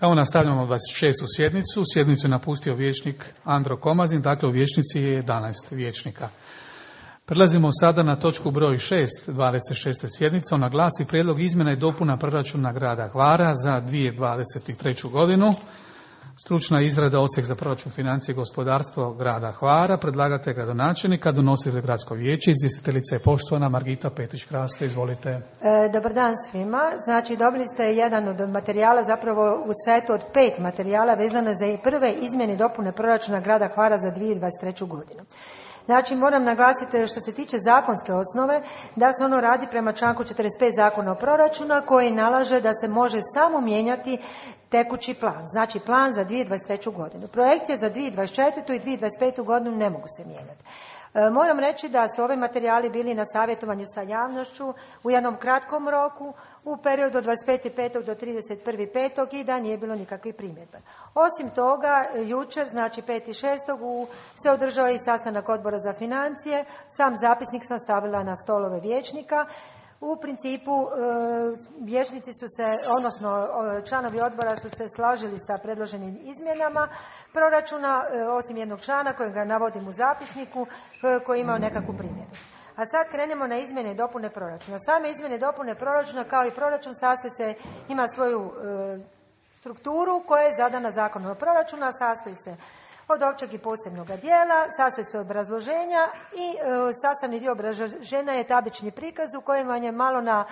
Evo nastavljamo 26. sjednicu. Sjednicu je napustio vijećnik Andro Komazin, dakle u vijećnici je 11 vijećnika. Prelazimo sada na točku broj 6, 26. sjednice. Ona glasi prijedlog izmjena i dopuna proračuna grada Hvara za 2023. godinu. Stručna izrada Odsjek za proračun, financije i gospodarstvo grada Hvara. Predlagatelj gradonačelnika, donositelj gradsko vijeće, izvjestiteljica je poštovana Margita Petrić-Krasle. Izvolite. Dobar dan svima. Znači, dobili ste jedan od materijala, zapravo u setu od 5 materijala vezano za prve izmjene i dopune proračuna grada Hvara za 2023. godinu. Znači, moram naglasiti što se tiče zakonske osnove da se ono radi prema članku 45 Zakona o proračunu koji nalaže da se može samo mijenjati tekući plan, znači plan za 2023. godinu. Projekcije za 2024. i 2025. godinu ne mogu se mijenjati. Moram reći da su ovi materijali bili na savjetovanju sa javnošću u jednom kratkom roku, u periodu od 25.5. do 31.5. i da nije bilo nikakvih primjedba. Osim toga, jučer, znači 5.6. se održao i sastanak odbora za financije. Sam zapisnik sam stavila na stolove vijećnika. U principu vijećnici su se, odnosno članovi odbora su se složili sa predloženim izmjenama proračuna, osim jednog člana kojega navodim u zapisniku koji je imao nekakvu primjedbu. A sad krenemo na izmjene i dopune proračuna. Same izmjene i dopune proračuna kao i proračun ima svoju strukturu koja je zadana Zakonom o proračunu, sastoji se od općeg i posebnog dijela, sastoji se od obrazloženja i sastavni dio obrazloženja je tablični prikaz u kojem vam je malo na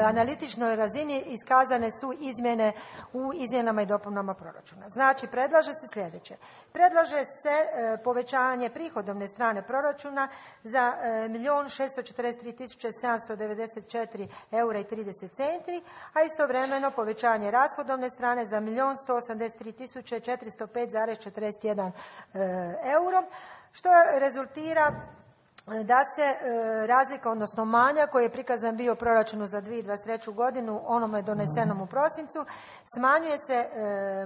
analitičnoj razini iskazane su izmjene u izmjenama i dopunama proračuna. Znači, predlaže se sljedeće. Predlaže se povećanje prihodovne strane proračuna za 1.643.794 eura i 30 centi, a istovremeno povećanje rashodovne strane za 1.183.405,41 euro, što rezultira da se razlika, odnosno manjak koji je prikazan bio u proračunu za 2023. godinu, onome donesenom u prosincu, smanjuje se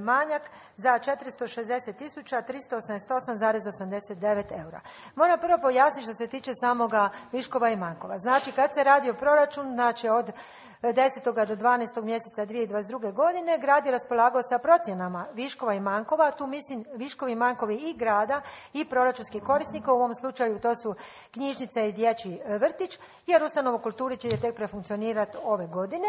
manjak za 460.388,89 eura. Moram prvo pojasniti što se tiče samoga viškova i manjkova. Znači, kad se radi o proračunu, znači od 10. do 12. mjeseca 2022. godine grad je raspolagao sa procjenama viškova i manjkova, tu mislim viškovi i manjkovi i grada i proračunskih korisnika, u ovom slučaju to su knjižnica i dječji vrtić, jer ustanova u kulturi će tek prefunkcionirati ove godine.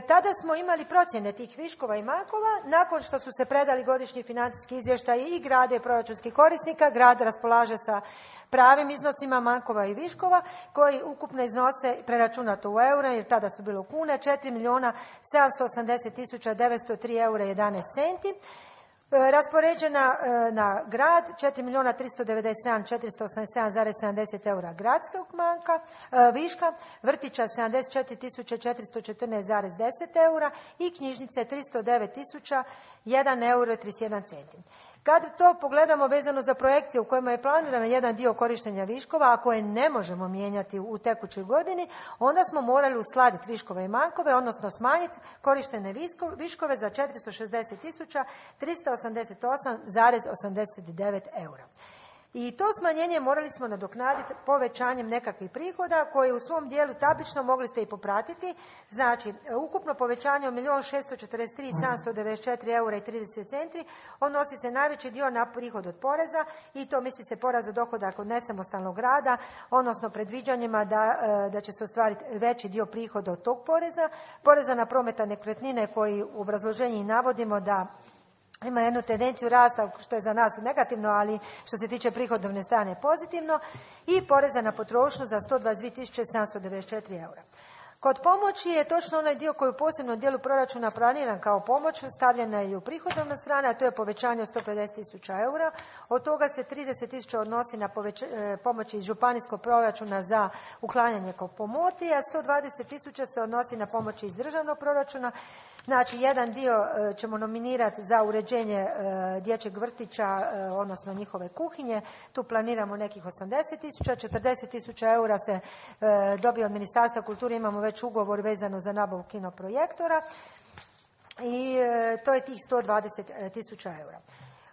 Tada smo imali procjene tih viškova i manjkova. Nakon što su se predali godišnji financijski izvještaji i grada i proračunskih korisnika, grad raspolaže sa pravim iznosima manjkova i viškova koji ukupno iznose, preračunato u eure jer tada su bilo kune, 4.780.903 eura i 11 centi. Raspoređena na grad 4.397.487,70 eura gradskog viška, vrtića 74.414,10 eura i knjižnice 309.001 euro i 31 centi. Kad to pogledamo vezano za projekcije u kojima je planiran jedan dio korištenja viškova, a koje ne možemo mijenjati u tekućoj godini, onda smo morali uskladiti viškove i manjkove, odnosno smanjiti korištene viškove za 460.388,89 eura. I to smanjenje morali smo nadoknaditi povećanjem nekakvih prihoda koji u svom dijelu tablično mogli ste i popratiti. Znači, ukupno povećanje od 1.643.794 eura i 30 centi odnosi se najveći dio na prihod od poreza i to misli se porez od dohodak od nesamostalnog rada, odnosno predviđanjima da će se ostvariti veći dio prihoda od tog poreza na prometa nekretnine koji u obrazloženju i navodimo da ima jednu tendenciju rasta, što je za nas negativno, ali što se tiče prihodovne strane pozitivno, i poreza na potrošnju za 122.794 eura. Kod pomoći je točno onaj dio koji u posebnom dijelu proračuna planiran kao pomoć, stavljena je i u prihodovna strana, a to je povećanje od 150.000 eura. Od toga se 30.000 odnosi na pomoći iz županijskog proračuna za uklanjanje pomoti, a 120.000 se odnosi na pomoći iz državnog proračuna. Znači, jedan dio ćemo nominirati za uređenje dječjeg vrtića, odnosno njihove kuhinje. Tu planiramo nekih 80.000, 40.000 eura se dobije od Ministarstva kulture, imamo već ugovor vezano za nabavu kinoprojektora i to je tih 120.000 eura.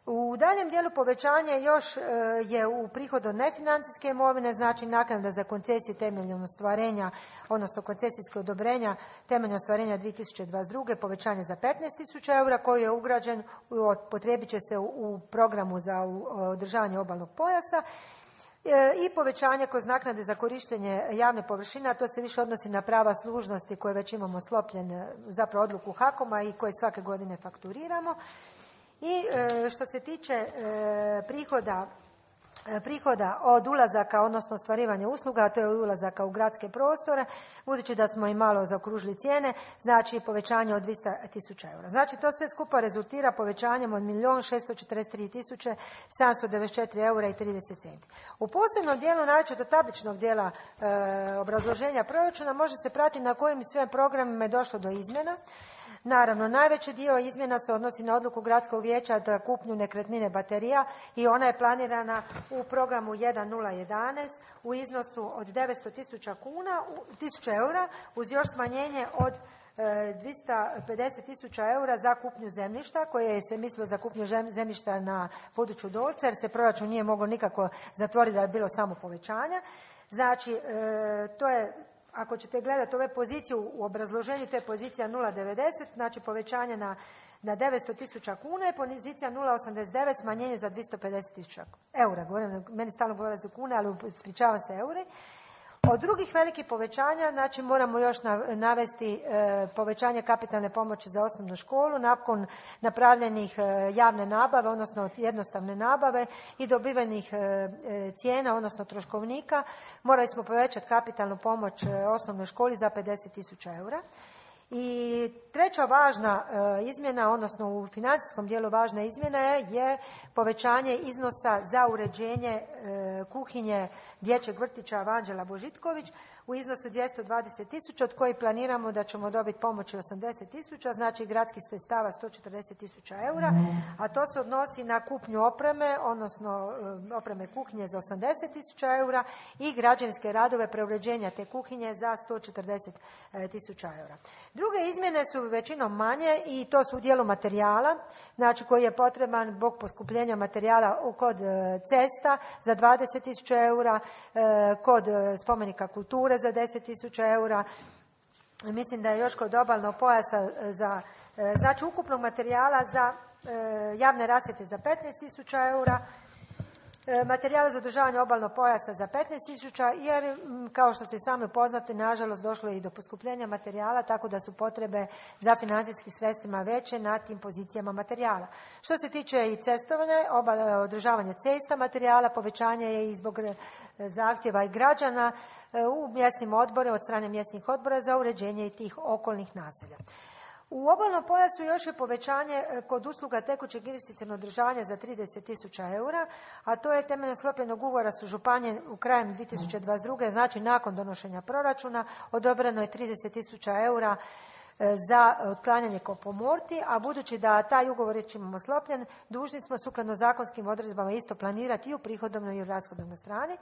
U daljem dijelu povećanje još je u prihodu nefinancijske imovine, znači naknada za koncesije temeljem ostvarenja, odnosno koncesijske odobrenja temeljem ostvarenja 2022. povećanje za 15.000 eura koji je ugrađen, potrebit će se u programu za održavanje obalnog pojasa. I povećanje kroz naknade za korištenje javne površine, a to se više odnosi na prava služnosti koje već imamo sklopljen, zapravo odluku HAKOM-a i koje svake godine fakturiramo. I što se tiče prihoda od ulazaka, odnosno ostvarivanja usluga, a to je ulazaka u gradske prostore, budući da smo i malo zaokružili cijene, znači povećanje od 200.000 eura. Znači to sve skupa rezultira povećanjem od 1.643.794 eura i 30 centi. U posebnom dijelu, naročito do tabličnog dijela obrazloženja proračuna, može se pratiti na kojim sve programima je došlo do izmjena. Naravno, najveći dio izmjena se odnosi na odluku Gradskog vijeća za kupnju nekretnine baterija i ona je planirana u programu 1.011 u iznosu od 900.000 eura uz još smanjenje od 250.000 eura za kupnju zemljišta koje se mislilo za kupnju zemljišta na području Dolca jer se proračun nije moglo nikako zatvoriti da je bilo samo povećanja. Znači, to je, ako ćete gledati ove pozicije u obrazloženju, to je pozicija 0,90, znači povećanje na 900.000 kuna, je pozicija 0,89, smanjenje za 250.000 eura. Govorim, meni stalno govore za kune, ali ispričavam se euri. Od drugih velikih povećanja, znači moramo još navesti povećanje kapitalne pomoći za osnovnu školu, nakon napravljenih javne nabave, odnosno jednostavne nabave i dobivenih cijena, odnosno troškovnika, morali smo povećati kapitalnu pomoć osnovnoj školi za 50.000 eura. I treća važna izmjena, odnosno u financijskom dijelu važna izmjena je povećanje iznosa za uređenje kuhinje dječjeg vrtića Vanđela Božitković u iznosu 220.000, od kojih planiramo da ćemo dobiti pomoći 80.000, znači gradskih sredstava 140.000 eura, a to se odnosi na kupnju opreme, odnosno opreme kuhinje za 80.000 eura i građevinske radove preuređenja te kuhinje za 140.000 eura. Druge izmjene su većinom manje i to su u dijelu materijala, znači koji je potreban zbog poskupljenja materijala kod cesta za 20.000 eura, kod spomenika kulture za 10.000 eura. Mislim da je još kod obalnog pojasa znači ukupnog materijala za javne rasvjete za 15.000 eura, materijala za održavanje obalnog pojasa za 15.000, jer kao što se sami poznati, nažalost došlo je i do poskupljenja materijala, tako da su potrebe za financijskim sredstvima veće na tim pozicijama materijala. Što se tiče i cestovne, održavanje cesta materijala, povećanje je i zbog zahtjeva i građana u mjesnim odborima, od strane mjesnih odbora za uređenje i tih okolnih naselja. U obalnom pojasu još je povećanje kod usluga tekućeg investicionog održavanja za 30.000 eura, a to je temeljem sklopljenog ugovora su županije u krajem 2022. znači nakon donošenja proračuna odobreno je 30.000 eura za otklanjanje kompomorti, a budući da taj ugovor već imamo sklopljen, dužni smo sukladno zakonskim odredbama isto planirati i u prihodovnoj i u rashodovnoj strani.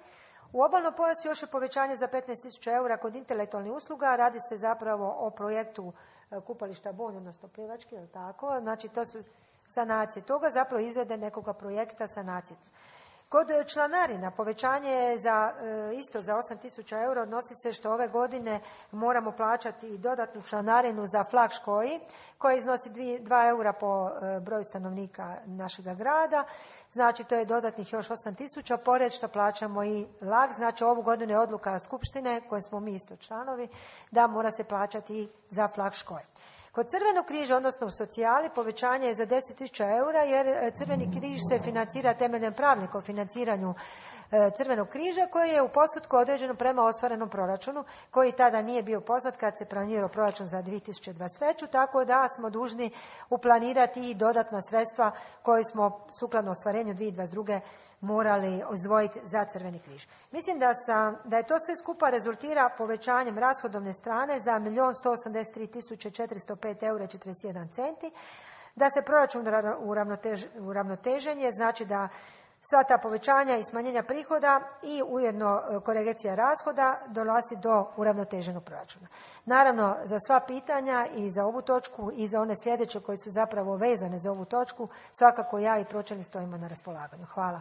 U obalnom pojasu još je povećanje za 15.000 eura kod intelektualnih usluga, radi se zapravo o projektu kupališta Bonj, odnosno plivački, je tako? Znači to su sanacije toga, zapravo izrade nekoga projekta sanacije. Kod članarina povećanje je isto za 8.000 eura, odnosi se što ove godine moramo plaćati i dodatnu članarinu za flag škoji, koja iznosi 2 eura po broju stanovnika našega grada, znači to je dodatnih još 8.000, pored što plaćamo i lag, znači ovu godinu je odluka skupštine, koje smo mi isto članovi, da mora se plaćati i za flag škoje. Kod Crvenog križa, odnosno u socijali, povećanje je za 10.000 eura jer Crveni križ se financira temeljem pravilnika o financiranju Crvenog križa koji je u postotku određeno prema ostvarenom proračunu koji tada nije bio poznat kad se planirao proračun za 2023. Tako da smo dužni uplanirati i dodatna sredstva koje smo sukladno ostvarenju 2022. morali izdvojiti za Crveni križ. Mislim da je to sve skupa rezultira povećanjem rashodovne strane za 1.183.405 eura i 41 centi, da se proračun uravnotežen je, znači da sva ta povećanja i smanjenja prihoda i ujedno korekcija rashoda dolazi do uravnoteženog proračuna. Naravno, za sva pitanja i za ovu točku i za one sljedeće koje su zapravo vezane za ovu točku, svakako ja i pročelnik stojimo na raspolaganju. Hvala.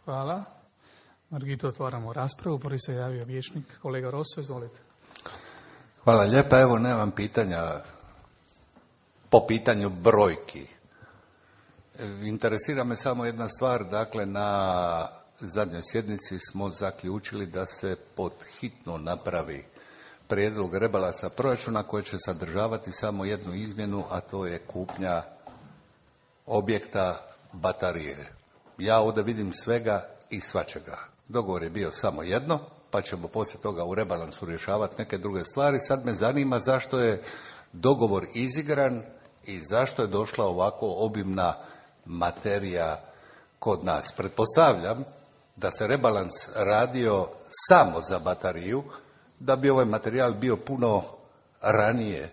Hvala. Margito, otvaramo raspravu. Prvi se javio vijećnik kolega Rosso, izvolite. Hvala lijepa. Evo, nemam pitanja po pitanju brojki. Interesira me samo jedna stvar. Dakle, na zadnjoj sjednici smo zaključili da se pod hitno napravi prijedlog rebalansa proračuna koji će sadržavati samo jednu izmjenu, a to je kupnja objekta baterije. Ja ovdje vidim svega i svačega. Dogovor je bio samo jedno, pa ćemo poslije toga u rebalansu rješavati neke druge stvari. Sad me zanima zašto je dogovor izigran i zašto je došla ovako obimna materija kod nas. Pretpostavljam da se rebalans radio samo za bateriju, da bi ovaj materijal bio puno ranije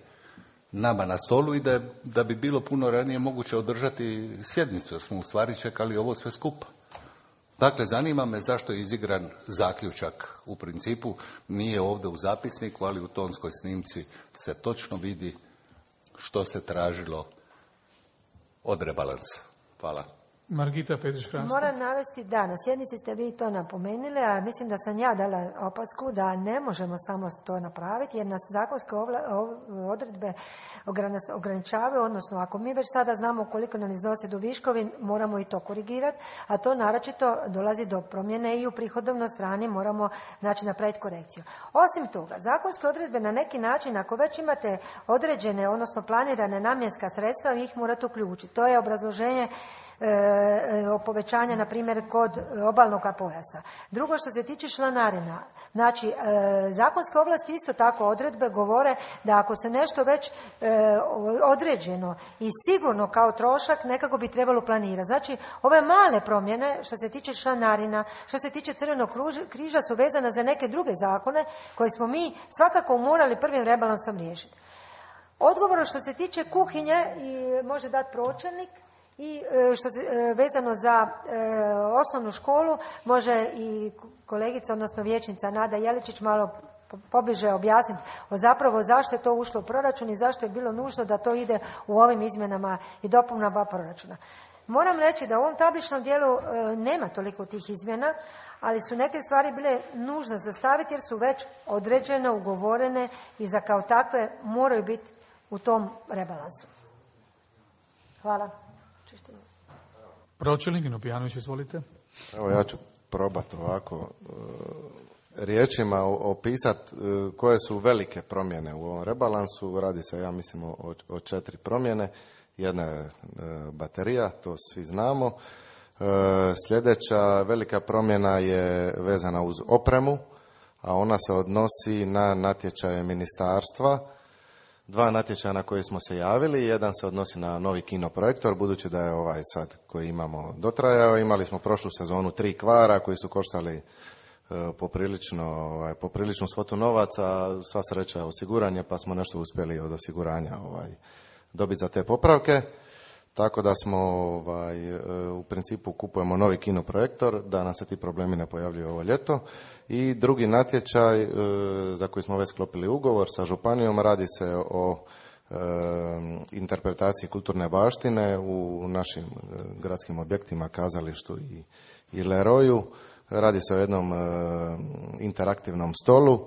nama na stolu i da bi bilo puno ranije moguće održati sjednicu, jer smo u stvari čekali ovo sve skupa. Dakle, zanima me zašto je izigran zaključak. U principu nije ovdje u zapisniku, ali u tonskoj snimci se točno vidi što se tražilo od rebalansa. Hvala. Margita Petrić-Hrasto. Moram navesti da na sjednici ste vi to napomenuli, a mislim da sam ja dala opasku da ne možemo samo to napraviti jer nas zakonske odredbe ograničavaju, odnosno ako mi već sada znamo koliko nam iznose do viškovi, moramo i to korigirati, a to naročito dolazi do promjene i u prihodovnoj strani moramo napraviti korekciju. Osim toga, zakonske odredbe na neki način, ako već imate određene, odnosno planirane namjenska sredstva, vi ih morate uključiti. To je obrazloženje povećanja, na primjer, kod obalnog pojasa. Drugo, što se tiče članarina, znači, zakonske ovlasti isto tako odredbe govore da ako se nešto već određeno i sigurno kao trošak, nekako bi trebalo planirati. Znači, ove male promjene, što se tiče članarina, što se tiče Crvenog križa, su vezane za neke druge zakone koje smo mi svakako morali prvim rebalansom riješiti. Odgovor što se tiče kuhinje i može dati pročelnik, i što se vezano za osnovnu školu može i kolegica, odnosno vijećnica Nada Jeličić malo pobliže objasniti zapravo zašto je to ušlo u proračun i zašto je bilo nužno da to ide u ovim izmjenama i dopunama proračuna. Moram reći da u ovom tabličnom dijelu nema toliko tih izmjena, ali su neke stvari bile nužne za staviti jer su već određene, ugovorene i za kao takve moraju biti u tom rebalansu. Hvala. Pročelnik Nopijanović, izvolite. Evo, ja ću probati ovako riječima opisati koje su velike promjene u ovom rebalansu. Radi se, ja mislim, o 4 promjene. Jedna je baterija, to svi znamo. Sljedeća velika promjena je vezana uz opremu, a ona se odnosi na natječaje ministarstva. 2 natječaja na koje smo se javili, jedan se odnosi na novi kinoprojektor, budući da je ovaj sad koji dotrajao. Imali smo prošlu sezonu 3 kvara koji su koštali popriličnu svotu novaca, sva sreća osiguranje, pa smo nešto uspjeli od osiguranja dobiti za te popravke. Tako da smo u principu kupujemo novi kinoprojektor, da nam se ti problemi ne pojavljuju ovo ljeto. I drugi natječaj za koji smo već sklopili ugovor sa županijom, radi se o interpretaciji kulturne baštine u našim gradskim objektima, kazalištu i Leroju. Radi se o jednom interaktivnom stolu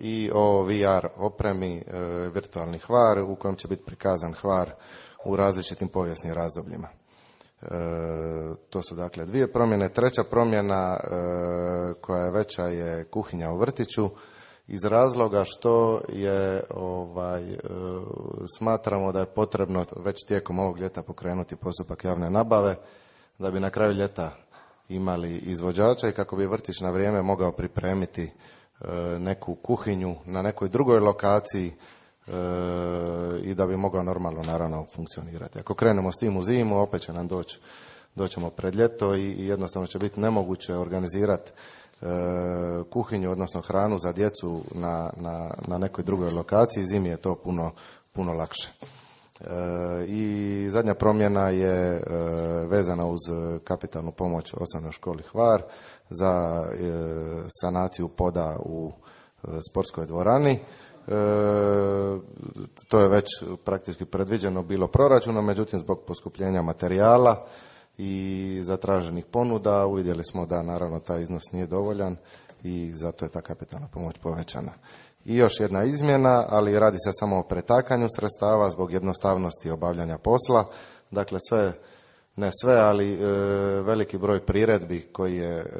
i o VR opremi, virtualni Hvar u kojem će biti prikazan Hvar u različitim povijesnim razdobljima. To su dakle 2 promjene. Treća promjena koja je veća je kuhinja u vrtiću iz razloga što je smatramo da je potrebno već tijekom ovog ljeta pokrenuti postupak javne nabave da bi na kraju ljeta imali izvođača i kako bi vrtić na vrijeme mogao pripremiti neku kuhinju na nekoj drugoj lokaciji i da bi mogao normalno naravno funkcionirati. Ako krenemo s tim u zimu, opet će nam doćemo pred ljeto i jednostavno će biti nemoguće organizirati kuhinju, odnosno hranu za djecu na nekoj drugoj lokaciji. Zimi je to puno lakše. I zadnja promjena je vezana uz kapitalnu pomoć osnovnoj školi Hvar za sanaciju poda u sportskoj dvorani. To je već praktički predviđeno bilo proračunom, međutim zbog poskupljenja materijala i zatraženih ponuda uvidjeli smo da naravno taj iznos nije dovoljan i zato je ta kapitalna pomoć povećana. I još jedna izmjena, ali radi se samo o pretakanju sredstava zbog jednostavnosti obavljanja posla. Dakle, ne sve, ali veliki broj priredbi koji je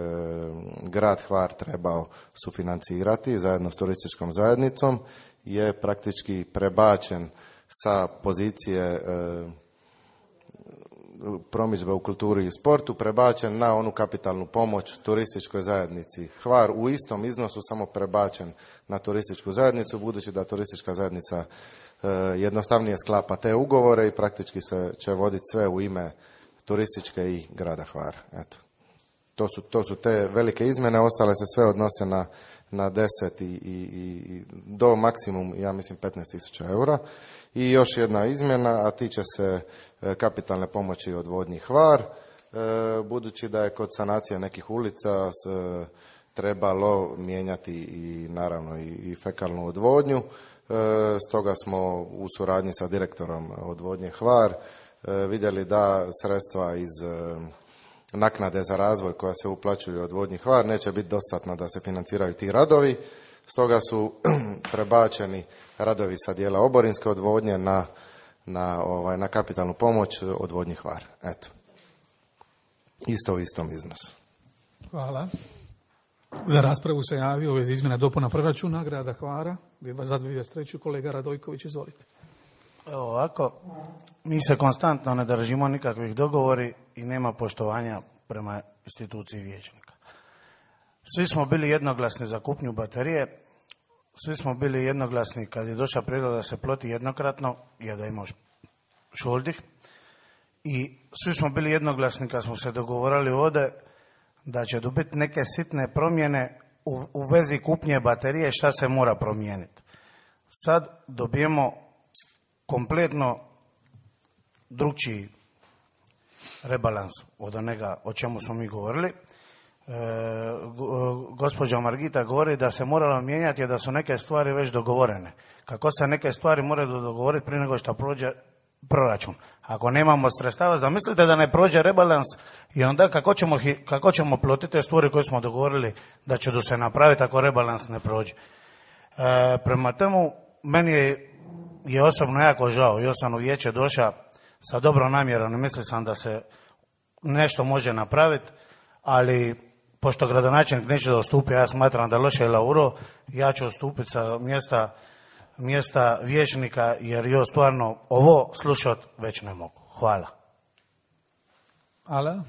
grad Hvar trebao sufinancirati zajedno s turističkom zajednicom je praktički prebačen sa pozicije promidžbe u kulturi i sportu, prebačen na onu kapitalnu pomoć turističkoj zajednici Hvar u istom iznosu, samo prebačen na turističku zajednicu, budući da turistička zajednica jednostavnije sklapa te ugovore i praktički se će voditi sve u ime turističke i grada Hvara. Eto. To su te velike izmjene, ostale se sve odnose na 10 i do maksimum, ja mislim, 15.000 eura. I još jedna izmjena, a tiče se kapitalne pomoći odvodnji Hvar, budući da je kod sanacije nekih ulica trebalo mijenjati i naravno i fekalnu odvodnju. Stoga smo u suradnji sa direktorom odvodnje Hvar vidjeli da sredstva iz naknade za razvoj koja se uplaćuju odvodnji Hvar neće biti dostatna da se financiraju ti radovi. Stoga su prebačeni radovi sa dijela oborinske odvodnje na kapitalnu pomoć odvodnji Hvar. Eto. Isto u istom iznosu. Hvala. Za raspravu se javio ove izmjena dopuna proračuna grada Hvara za 2023. Kolega Radojković, izvolite. Evo ovako, mi se konstantno ne držimo nikakvih dogovori i nema poštovanja prema instituciji vijećnika. Svi smo bili jednoglasni za kupnju baterije, svi smo bili jednoglasni kad je došao prijedlog da se plati jednokratno, jer da ima šoldih, i svi smo bili jednoglasni kad smo se dogovorili ovdje da će dobiti neke sitne promjene u vezi kupnje baterije, šta se mora promijeniti. Sad dobijemo kompletno drugčiji rebalans od onega o čemu smo mi govorili. Gospođa Margita govori da se moralo mijenjati, da su neke stvari već dogovorene. Kako se neke stvari moraju dogovoriti prije nego što prođe proračun? Ako nemamo sredstava, zamislite da ne prođe rebalans i onda kako ćemo plotiti te stvari koje smo dogovorili da će se napraviti ako rebalans ne prođe. Prema temu, meni je osobno jako žao. Ja sam u vijeće došao sa dobrom namjerom i mislio sam da se nešto može napraviti, ali pošto gradonačelnik neće da odstupi, ja smatram da loše je Lauro, ja ću odstupiti sa mjesta vijećnika, jer ja stvarno ovo slušati već ne mogu. Hvala. Hvala.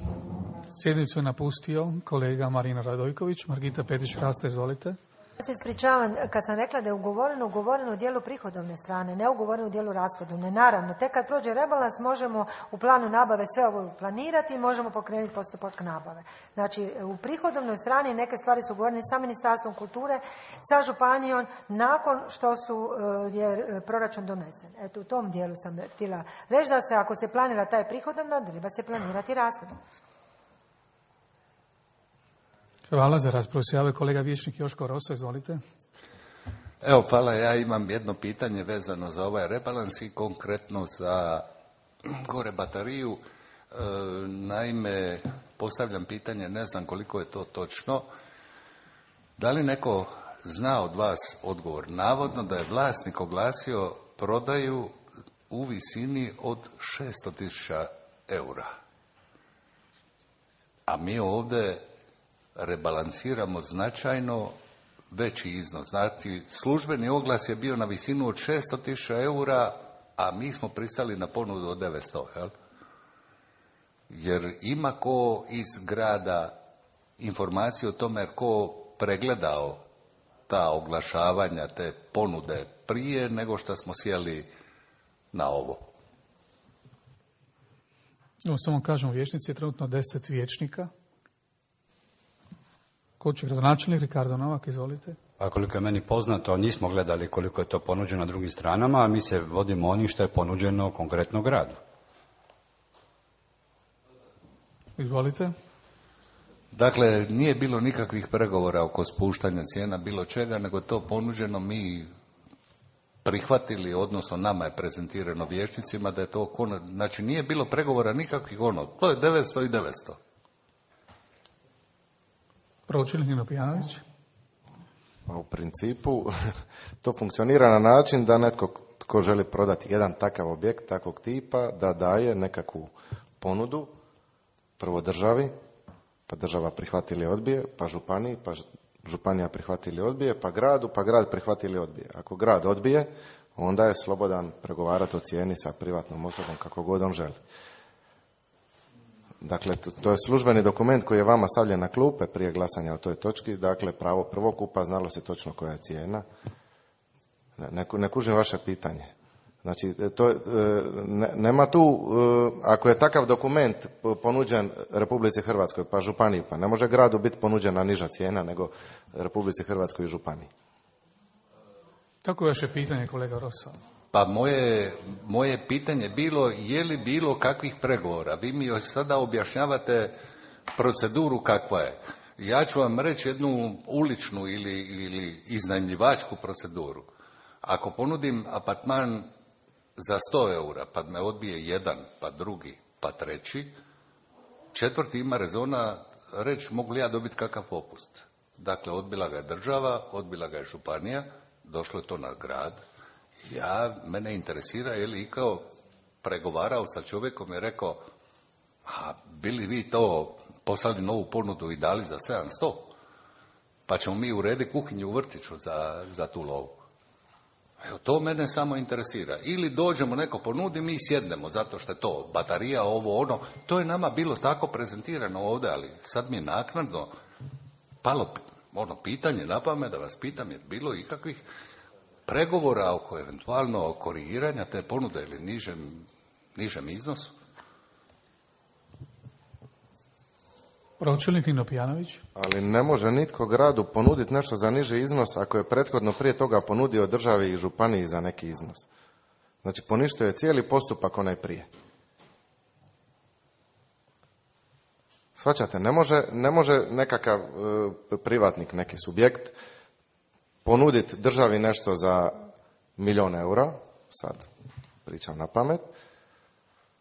Sjednicu je napustio kolega Marina Radojković. Margita Petić-Hrasta, izvolite. Ja se ispričavam, kad sam rekla da je ugovoreno u dijelu prihodovne strane, ne ugovoreno u dijelu rashodovne. Naravno, tek kad prođe rebalans možemo u planu nabave sve ovo planirati i možemo pokrenuti postupak nabave. Znači, u prihodovnoj strani neke stvari su ugovorene sa Ministarstvom kulture, sa županijom, nakon što je proračun donesen. Eto, u tom dijelu sam htjela reći da se, ako se planira taj prihodovna, treba se planirati rashodovna. Hvala. Za raspravu se javio kolega vijećnik Joško Rosa, izvolite. Evo, hvala. Ja imam jedno pitanje vezano za ovaj rebalans i konkretno za gore bateriju. Naime, postavljam pitanje, ne znam koliko je to točno. Da li neko zna od vas odgovor? Navodno da je vlasnik oglasio prodaju u visini od 600.000 eura. A mi ovdje rebalansiramo značajno veći iznos. Znači, službeni oglas je bio na visinu od 600.000 eura, a mi smo pristali na ponudu od 900, jel? Jer ima ko iz grada informacije o tome ko pregledao ta oglašavanja, te ponude prije nego što smo sjeli na ovo. Samo kažem, u vijećnici je trenutno 10 vijećnika. Ko će gradonačelnik? Ricardo Novak, izvolite. A koliko je meni poznato, nismo gledali koliko je to ponuđeno drugim stranama, a mi se vodimo onim što je ponuđeno konkretno gradu. Izvolite. Dakle, nije bilo nikakvih pregovora oko spuštanja cijena bilo čega, nego to ponuđeno mi prihvatili, odnosno nama je prezentirano vijećnicima da je to, znači nije bilo pregovora nikakvih to je 900 i 900. Pročelnik Nino Pijanović. U principu to funkcionira na način da netko tko želi prodati jedan takav objekt, takvog tipa, da daje nekakvu ponudu prvo državi, pa država prihvati ili odbije, pa županiji, pa županija prihvati ili odbije, pa grad prihvati ili odbije. Ako grad odbije, onda je slobodan pregovarati o cijeni sa privatnom osobom kako god on želi. Dakle, to je službeni dokument koji je vama stavljen na klupe prije glasanja o toj točki. Dakle, pravo prvokupa, znalo se točno koja je cijena. Ne kužim vaše pitanje. Znači, nema tu, ako je takav dokument ponuđen Republici Hrvatskoj, pa županiji, pa ne može gradu biti ponuđena niža cijena nego Republici Hrvatskoj i županiji. Tako je vaše pitanje, kolega Rosa. Pa moje pitanje bilo, je li bilo kakvih pregovora? Vi mi sada objašnjavate proceduru kakva je. Ja ću vam reći jednu uličnu ili iznajmljivačku proceduru. Ako ponudim apartman za 100 eura, pa me odbije jedan, pa drugi, pa treći, četvrti ima rezona reći mogu li ja dobiti kakav popust. Dakle, odbila ga je država, odbila ga je županija, došlo je to na grad. Mene interesira je li ikao pregovarao sa čovjekom i rekao, a bili vi to poslali novu ponudu i dali za 700, pa ćemo mi urediti kuhinju u vrtiću za tu lovu. Evo, to mene samo interesira. Ili dođemo, neko ponudi, mi sjednemo, zato što je to baterija, ovo, to je nama bilo tako prezentirano ovdje, ali sad mi je naknadno palo pitanje na pamet da vas pitam, je bilo ikakvih pregovora oko eventualno korigiranja te ponude ili nižem iznosu? Pročelnik Nino Pijanović. Ali ne može nitko gradu ponuditi nešto za niži iznos ako je prethodno prije toga ponudio državi i županiji za neki iznos. Znači, poništio je cijeli postupak onaj prije. Shvaćate, ne može nekakav privatnik, neki subjekt ponuditi državi nešto za 1.000.000 eura, sad pričam na pamet,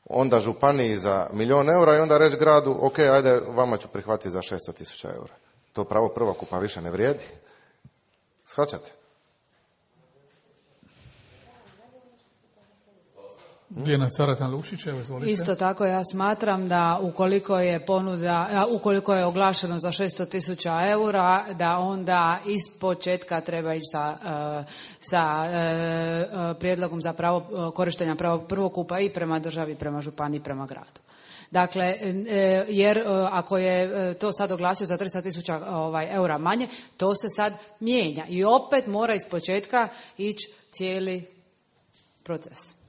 onda županiji za 1.000.000 eura i onda reći gradu, ok, ajde, vama ću prihvatiti za 600.000 eura. To pravo prvokupa više ne vrijedi. Shvaćate? Isto tako ja smatram da ukoliko je oglašeno za 600.000 eura, da onda iz početka treba ići sa prijedlogom za pravo korištenja prava prvokupa i prema državi, prema županiji, prema gradu. Dakle, jer ako je to sad oglasio za 300.000 eura manje, to se sad mijenja i opet mora iz početka ići cijeli proces.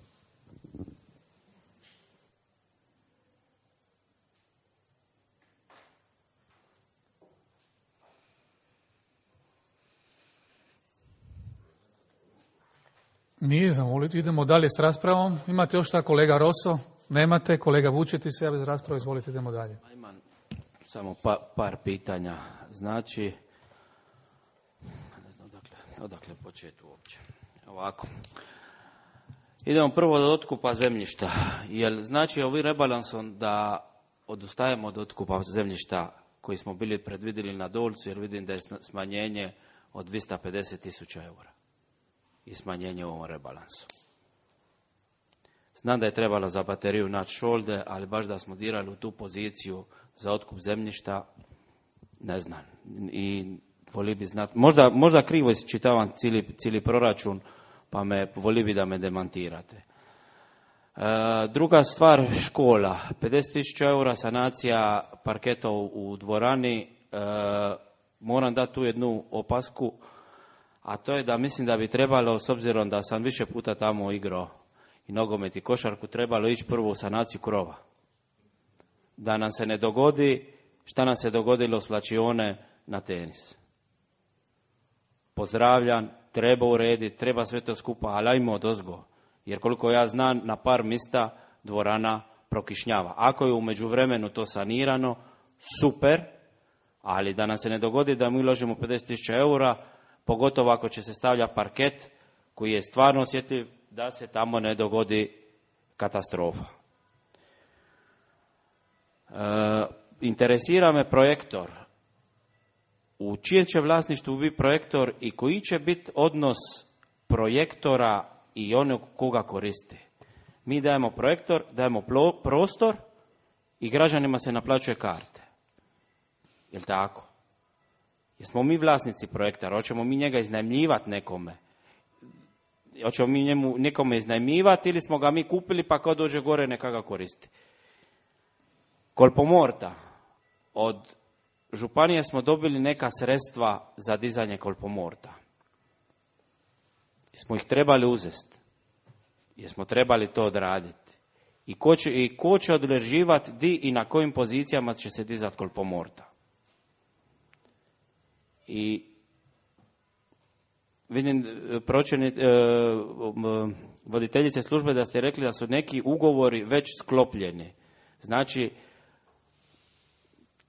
Nije zamoliti, idemo dalje s raspravom. Imate još šta, kolega Roso? Nemate, kolega Vučetić se javi za raspravu, izvolite, idemo dalje. Imam samo par pitanja. Znači, ne znam odakle početi uopće. Ovako. Idemo prvo od otkupa zemljišta. Jel znači ovim rebalansom da odustajemo od otkupa zemljišta koji smo bili predvidjeli na Dolcu, jer vidim da je smanjenje od 250.000 eura i smanjenje u ovom rebalansu. Znam da je trebalo za bateriju naći šolde, ali baš da smo dirali u tu poziciju za otkup zemljišta, ne znam. I voli bi znati, možda krivo isčitavam cijeli proračun, pa voli bi da me demantirate. Druga stvar, škola. 50.000 eura sanacija parketa u dvorani. Moram dati tu jednu opasku, a to je da mislim da bi trebalo, s obzirom da sam više puta tamo igrao i nogomet i košarku, trebalo ići prvo u sanaciju krova. Da nam se ne dogodi šta nam se dogodilo s Lačione na tenis. pozdravljam, treba urediti, treba sve to skupa, ali ajmo odozgo. Jer koliko ja znam, na par mjesta dvorana prokišnjava. Ako je u međuvremenu to sanirano, super, ali da nam se ne dogodi da mi uložimo 50.000 eura, pogotovo ako će se stavlja parket koji je stvarno osjetljiv, da se tamo ne dogodi katastrofa. Interesira me projektor. U čijem će vlasništvu biti projektor i koji će biti odnos projektora i onog koga koristi? Mi dajemo projektor, dajemo prostor i građanima se naplaćuje karte. Jel' tako? Jesmo mi vlasnici projektora? Hoćemo mi njega iznajmljivati nekome? Hoćemo mi njemu nekome iznajmljivati ili smo ga mi kupili pa kad dođe gore neka ga koristi? Kolpomorta. Od županije smo dobili neka sredstva za dizanje kolpomorta. Jesmo ih trebali uzeti? Jesmo trebali to odraditi? I ko će određivati di i na kojim pozicijama će se dizati kolpomorta? I vidim voditeljice službe da ste rekli da su neki ugovori već sklopljeni. Znači,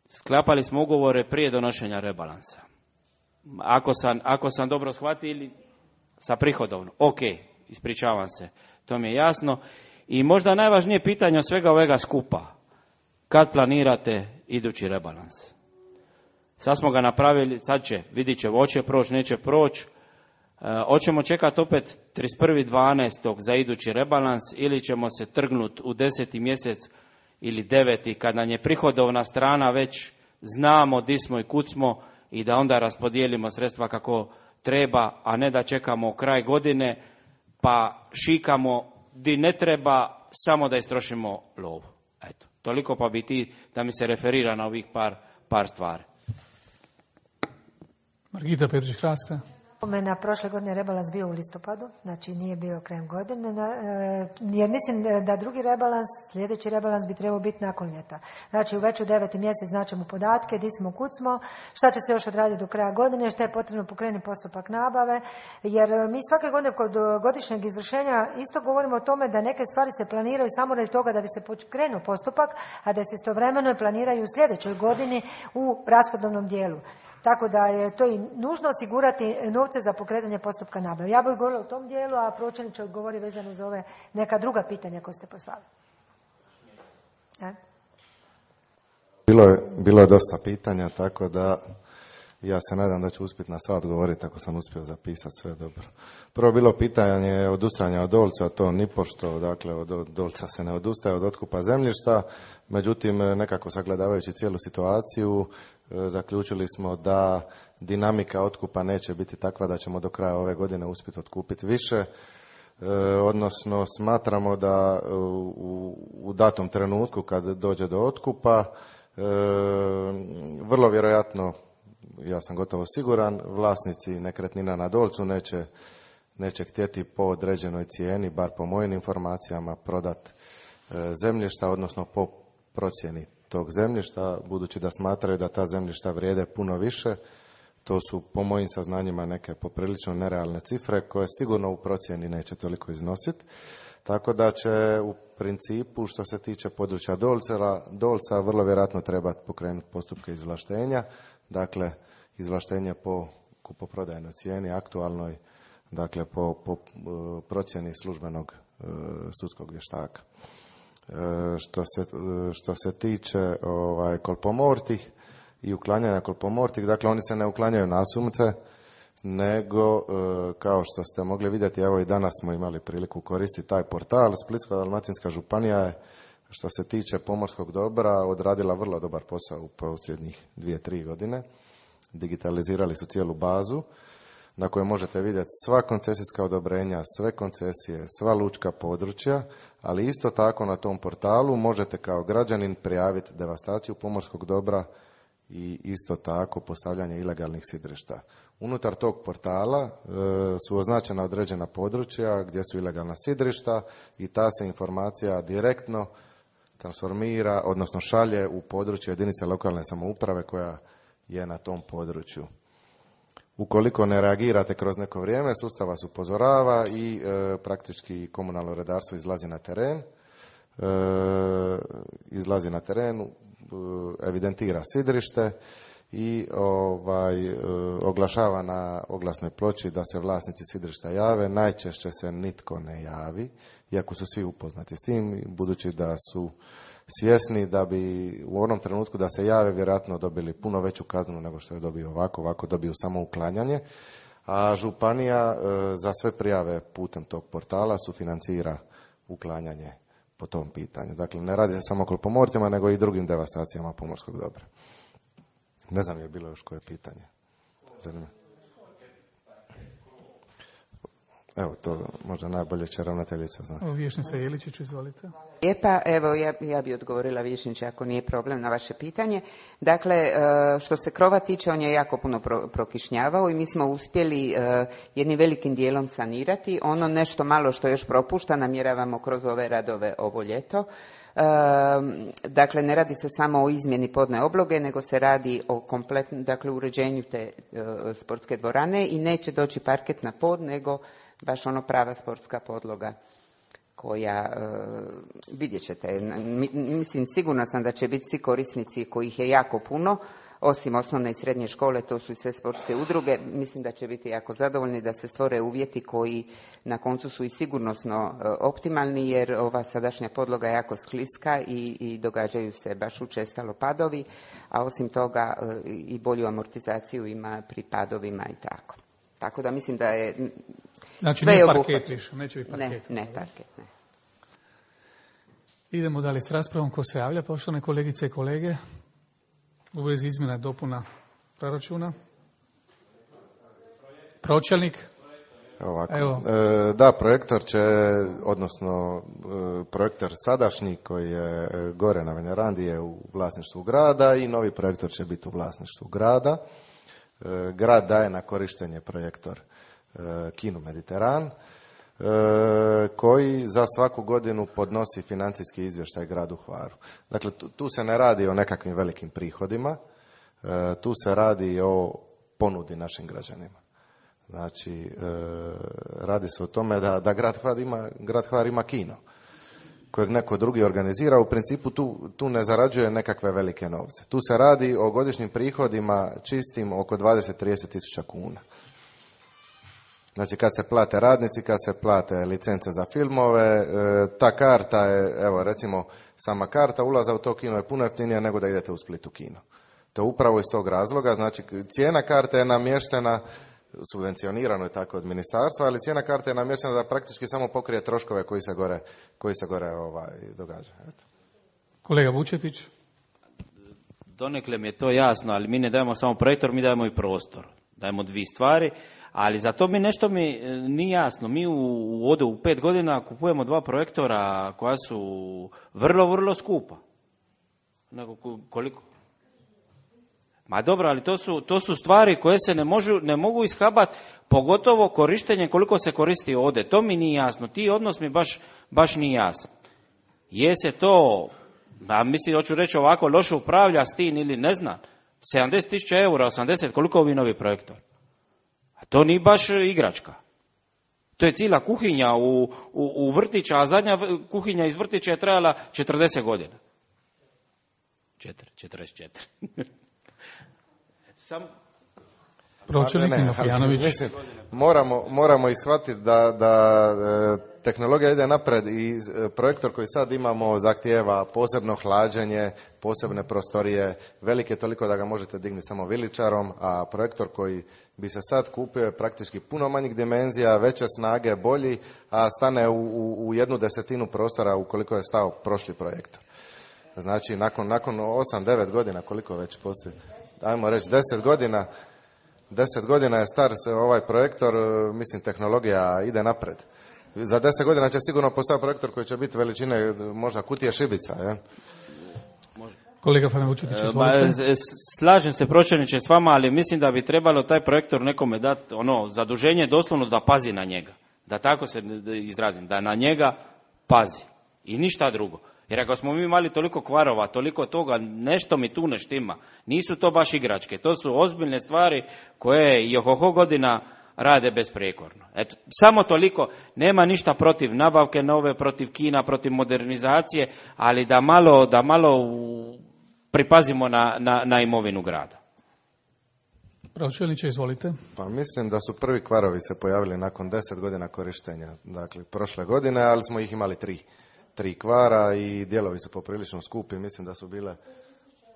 sklapali smo ugovore prije donošenja rebalansa. Ako sam dobro shvatio, ili sa prihodovno. Ok, ispričavam se, to mi je jasno. I možda najvažnije pitanje od svega ovega skupa. Kad planirate idući rebalans? Sad smo ga napravili, sad će, vidit će, hoće proći, neće proći. Hoćemo čekati opet 31.12. za idući rebalans ili ćemo se trgnuti u 10. mjesec ili 9. kad nam je prihodovna strana već znamo di smo i kud smo i da onda raspodijelimo sredstva kako treba, a ne da čekamo kraj godine pa šikamo di ne treba samo da istrošimo lovu. Eto, toliko pa bi ti da mi se referira na ovih par stvari. Margita Petrić-Hrasta. Na prošle godine rebalans bio u listopadu, znači nije bio krajem godine, jer mislim da drugi rebalans, sljedeći rebalans bi trebao biti nakon ljeta. Znači već u 9. mjesec značimo podatke, di smo, kud smo, šta će se još odraditi do kraja godine, šta je potrebno pokrenuti postupak nabave, jer mi svake godine kod godišnjeg izvršenja isto govorimo o tome da neke stvari se planiraju samo radi toga da bi se pokrenuo postupak, a da se istovremeno planiraju u sljedećoj godini u rashodovnom dijelu. Tako da je to i nužno osigurati novce za pokretanje postupka nabave. Ja bih govorila u tom dijelu, a pročelnik će odgovori vezano za ove neka druga pitanja koje ste poslali. Bilo je dosta pitanja, tako da ja se nadam da ću uspjeti na sva odgovoriti ako sam uspio zapisati sve dobro. Prvo bilo pitanje odustajanja od Dolca, to nipošto, dakle od Dolca se ne odustaje od otkupa zemljišta, međutim nekako sagledavajući cijelu situaciju zaključili smo da dinamika otkupa neće biti takva da ćemo do kraja ove godine uspjeti otkupiti više, odnosno smatramo da u datom trenutku kad dođe do otkupa vrlo vjerojatno, ja sam gotovo siguran, vlasnici nekretnina na Dolcu neće htjeti po određenoj cijeni, bar po mojim informacijama, prodat zemljišta, odnosno po procjeni tog zemljišta, budući da smatraju da ta zemljišta vrijede puno više. To su po mojim saznanjima neke poprilično nerealne cifre koje sigurno u procjeni neće toliko iznositi. Tako da će u principu što se tiče područja Dolca vrlo vjerojatno treba pokrenuti postupke izvlaštenja, dakle izvlaštenje po kupoprodajnoj cijeni aktualnoj, dakle po procjeni službenog sudskog vještaka. Što se tiče kolpomortih i uklanjanja kolpomortih, dakle oni se ne uklanjaju nasumce, nego kao što ste mogli vidjeti, evo i danas smo imali priliku koristiti taj portal. Splitsko-dalmatinska županija je što se tiče pomorskog dobra odradila vrlo dobar posao u posljednjih 2-3 godine. Digitalizirali su cijelu bazu na kojoj možete vidjeti sva koncesijska odobrenja, sve koncesije, sva lučka područja, ali isto tako na tom portalu možete kao građanin prijaviti devastaciju pomorskog dobra i isto tako postavljanje ilegalnih sidrišta. Unutar tog portala su označena određena područja gdje su ilegalna sidrišta i ta se informacija direktno transformira, odnosno šalje u područje jedinice lokalne samouprave koja je na tom području. Ukoliko ne reagirate kroz neko vrijeme, sustav vas upozorava i praktički komunalno redarstvo izlazi na teren, evidentira sidrište i oglašava na oglasnoj ploči da se vlasnici sidrišta jave. Najčešće se nitko ne javi, iako su svi upoznati s tim, budući da su svjesni da bi u onom trenutku da se jave vjerojatno dobili puno veću kaznu nego što je dobio ovako dobiju samo uklanjanje, a županija za sve prijave putem tog portala sufinancira uklanjanje po tom pitanju. Dakle, ne radi se samo o klopomortima, nego i drugim devastacijama pomorskog dobra. Ne znam je bilo još koje pitanje. Evo, to možda najbolje će ravnateljica znati. Vijećnica Jeličić, izvolite. Lijepa, evo ja bi odgovorila vijećniče ako nije problem na vaše pitanje. Dakle, što se krova tiče, on je jako puno prokišnjavao i mi smo uspjeli jednim velikim dijelom sanirati. Ono nešto malo što još propušta namjeravamo kroz ove radove ovo ljeto. Dakle, ne radi se samo o izmjeni podne obloge, nego se radi o kompletnom, dakle, uređenju te sportske dvorane i neće doći parket na pod, nego baš ono prava sportska podloga koja, vidjet ćete, mislim sigurna sam da će biti svi korisnici kojih je jako puno, osim osnovne i srednje škole, to su i sve sportske udruge, mislim da će biti jako zadovoljni da se stvore uvjeti koji na koncu su i sigurnosno optimalni, jer ova sadašnja podloga je jako skliska i događaju se baš učestalo padovi, a osim toga i bolju amortizaciju ima pri padovima i tako. Tako da mislim da je... Znači nije parket više, neće biti parket. Ne, parket, ne. Idemo dalje s raspravom. Ko se javlja, poštovane kolegice i kolege? U vezi izmjena i dopuna proračuna. Pročelnik. Evo. Da, projektor će, odnosno projektor sadašnji koji je gore na Venerandi je u vlasništvu grada i novi projektor će biti u vlasništvu grada. Grad daje na korištenje projektor Kinu Mediteran, koji za svaku godinu podnosi financijski izvještaj gradu Hvaru. Dakle, tu se ne radi o nekakvim velikim prihodima, tu se radi o ponudi našim građanima. Znači, radi se o tome da grad Hvar ima kino kojeg neko drugi organizira. U principu tu ne zarađuje nekakve velike novce. Tu se radi o godišnjim prihodima čistim oko 20-30 tisuća kuna. Znači, kad se plate radnici, kad se plate licence za filmove, ta karta je, evo recimo, sama karta ulaza u to kino je puno jeftinija nego da idete u Split u kino. To upravo iz tog razloga, znači cijena karte je namještena, subvencionirano je tako od ministarstva, ali cijena karte je namještena da praktički samo pokrije troškove koji se gore događaju. Eto. Kolega Vučetić. Donekle mi je to jasno, ali mi ne dajemo samo projektor, mi dajemo i prostor. Dajemo dvije stvari, ali za to nešto mi nije jasno. Mi u 5 godina kupujemo 2 projektora koja su vrlo, vrlo skupa. Koliko? Ma dobro, ali to su stvari koje se ne mogu ishabati, pogotovo korištenje koliko se koristi ovdje. To mi nije jasno. Ti odnos mi baš nije jasan. Je se to, mislim, hoću reći ovako, loše upravlja s tim ili ne znam, 70.000 eura, 80, koliko ovi novi projektor? A to nije baš igračka. To je cijela kuhinja u vrtića, a zadnja kuhinja iz vrtića je trajala 40 godina. 44. Pročelnik Mafijanović. Mislim, moramo ishvatiti da tehnologija ide napred i projektor koji sad imamo zahtijeva posebno hlađenje, posebne prostorije, velike toliko da ga možete dignuti samo viličarom, a projektor koji bi se sad kupio je praktički puno manjih dimenzija, veće snage, bolji, a stane u 1/10 prostora ukoliko je stao prošli projektor. Znači, nakon 8-9 godina, koliko već postoji, ajmo reći 10 godina je star ovaj projektor, mislim, tehnologija ide napred. Za 10 godina će sigurno postati projektor koji će biti veličine možda kutije šibica. Je? Kolega Fane Vučetić, izvolite. Slažem se, pročelniče, s vama, ali mislim da bi trebalo taj projektor nekome dati zaduženje doslovno da pazi na njega. Da tako se izrazim, da na njega pazi. I ništa drugo. Jer ako smo mi imali toliko kvarova, toliko toga, nešto mi tu ne štima. Nisu to baš igračke, to su ozbiljne stvari koje i ohoho godina rade besprekorno. Eto, samo toliko, nema ništa protiv nabavke nove, protiv kina, protiv modernizacije, ali da malo pripazimo na imovinu grada. Pročelniče, izvolite. Pa mislim da su prvi kvarovi se pojavili nakon 10 godina korištenja, dakle prošle godine, ali smo ih imali 3 kvara i dijelovi su poprilično skupi, mislim da su bile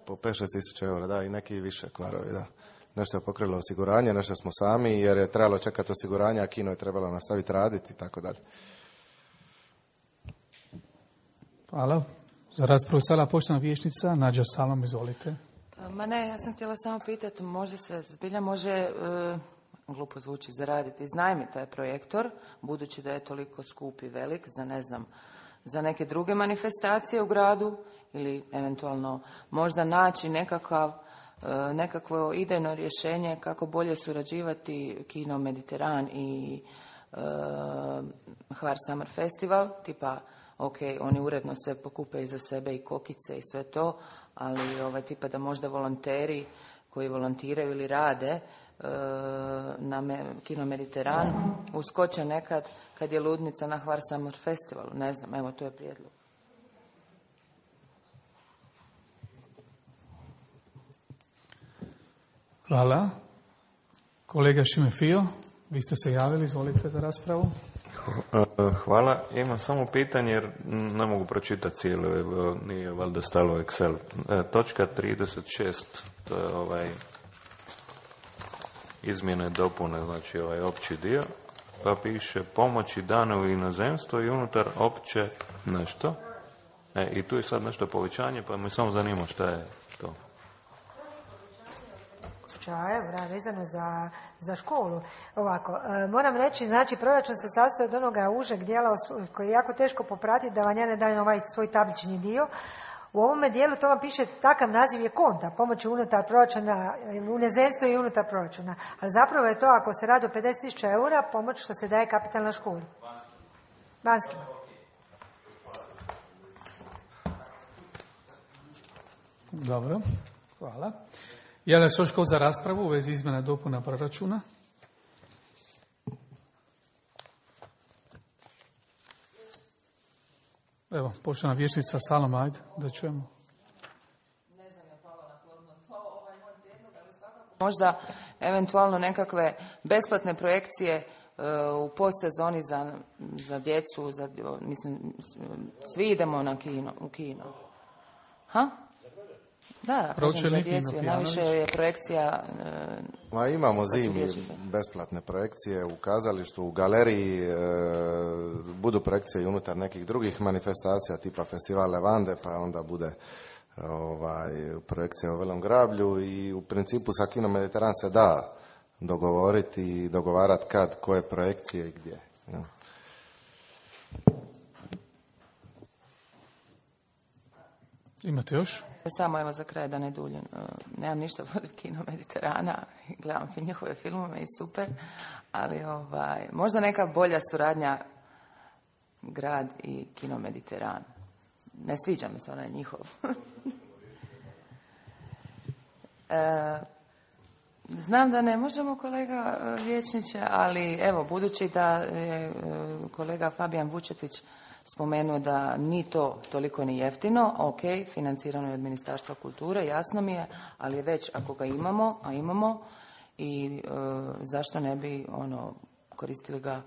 po 5-6 tisuća eura, da, i neki više kvarovi, da. Nešto je pokrilo osiguranje, nešto smo sami, jer je trebalo čekati osiguranje, a kino je trebalo nastaviti raditi i tako dalje. Hvala. Za raspravu sala poštovana vijećnica Nađa Salom, izvolite. Ma ne, ja sam htjela samo pitati, može se, zbilja može, glupo zvuči, zaraditi, iznajmiti taj projektor, budući da je toliko skup i velik, za ne znam, za neke druge manifestacije u gradu, ili eventualno možda naći nekakvo idejno rješenje kako bolje surađivati Kino Mediteran i Hvar Summer Festival, tipa, ok, oni uredno se pokupe iza sebe i kokice i sve to, ali tipa da možda volonteri koji volontiraju ili rade na Kino Mediteran uskoče nekad kad je ludnica na Hvar Summer Festivalu, ne znam, evo to je prijedlog. Hvala. Kolega Šime Fio, vi ste se javili, izvolite za raspravu. Hvala. Imam samo pitanje jer ne mogu pročitati cijelo, nije valjda stalo Excel. Točka 36, to je izmjene dopune, znači opći dio, pa piše pomoći dane u inozemstvo i unutar opće nešto. I tu je sad nešto povećanje, pa me samo zanima šta je to. Eura vezano za školu. Ovako, moram reći, znači proračun se sastoji od onoga užeg dijela koji je jako teško popratiti, da vam ja ne dajem ovaj svoj tablični dio. U ovome dijelu to vam piše, takav naziv je konta, pomoći unutar proračuna, u inozemstvu i unutar proračuna. Ali zapravo je to, ako se radi o 50.000 eura, pomoć što se daje kapitalna školi. Vanjskima. Dobro, hvala. Javlja se još tko za raspravu u vezi izmjena dopuna proračuna? Evo, poštovana vijećnica Saloma, ajde, da čujemo. Ne znam, je palo na plodno tlo moj prijedlog, ali svakako možda eventualno nekakve besplatne projekcije u postsezoni za djecu, mislim, svi idemo u kino. Ha? Da, kažem za djecu, najviše je projekcija... Imamo zimi besplatne projekcije u kazalištu, u galeriji, budu projekcije i unutar nekih drugih manifestacija tipa Festival Levande, pa onda bude projekcija u Velom Grablju i u principu sa Kino Mediteran se da dogovoriti i dogovarati kad, koje projekcije i gdje. Ja. Imate još? Samo evo za kraj da ne duljim. Nemam ništa protiv Kino Mediterana, gledam njihove filmove i super, ali možda neka bolja suradnja grad i Kino Mediteran. Ne sviđa mi se onaj njihov. Znam da ne možemo, kolega vijećniče, ali evo, budući da je kolega Fabijan Vučetić spomenuo da ni to toliko ni jeftino, ok, financirano je od Ministarstva kulture, jasno mi je, ali već ako ga imamo, a imamo, i zašto ne bi koristili ga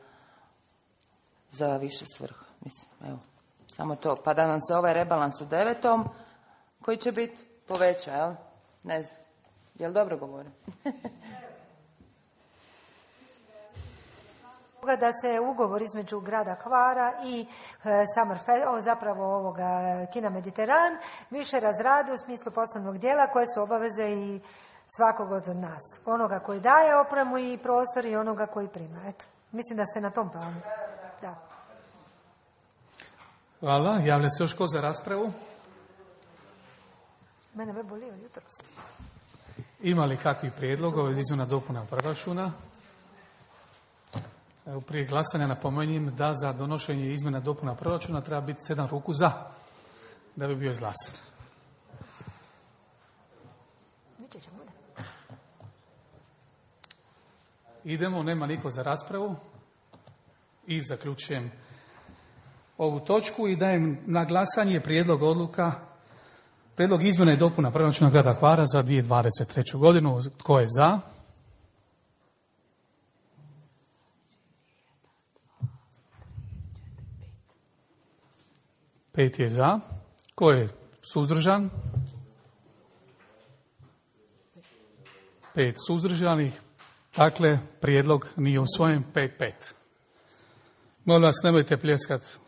za više svrha. Mislim, evo, samo to. Pa da nam se ovaj rebalans u 9. koji će biti poveća, jel? Ne znam. Jel dobro govorim? Da se ugovor između grada Hvara i zapravo ovoga Kina Mediteran više razradi u smislu poslovnog dijela koje su obaveze i svakog od nas. Onoga koji daje opremu i prostor i onoga koji prima. Eto, mislim da ste na tom planu. Da. Hvala. Javlja se još ko za raspravu? Mene me bolio jutros. Ima li kakvih prijedloga iz izmjena dopuna proračuna? Evo, prije glasanja napominjem da za donošenje izmjena dopuna proračuna treba biti 7 ruku za. da bi bio izglasan. Idemo, nema niko za raspravu i zaključujem ovu točku i dajem na glasanje prijedlog odluka, prijedlog izmjena i dopuna proračuna grada Hvara za 2023. godinu. Tko je za? Pet je za. Tko je suzdržan? 5 suzdržanih. Dakle, prijedlog nije usvojen. 5-5. Molim vas, nemojte pljeskat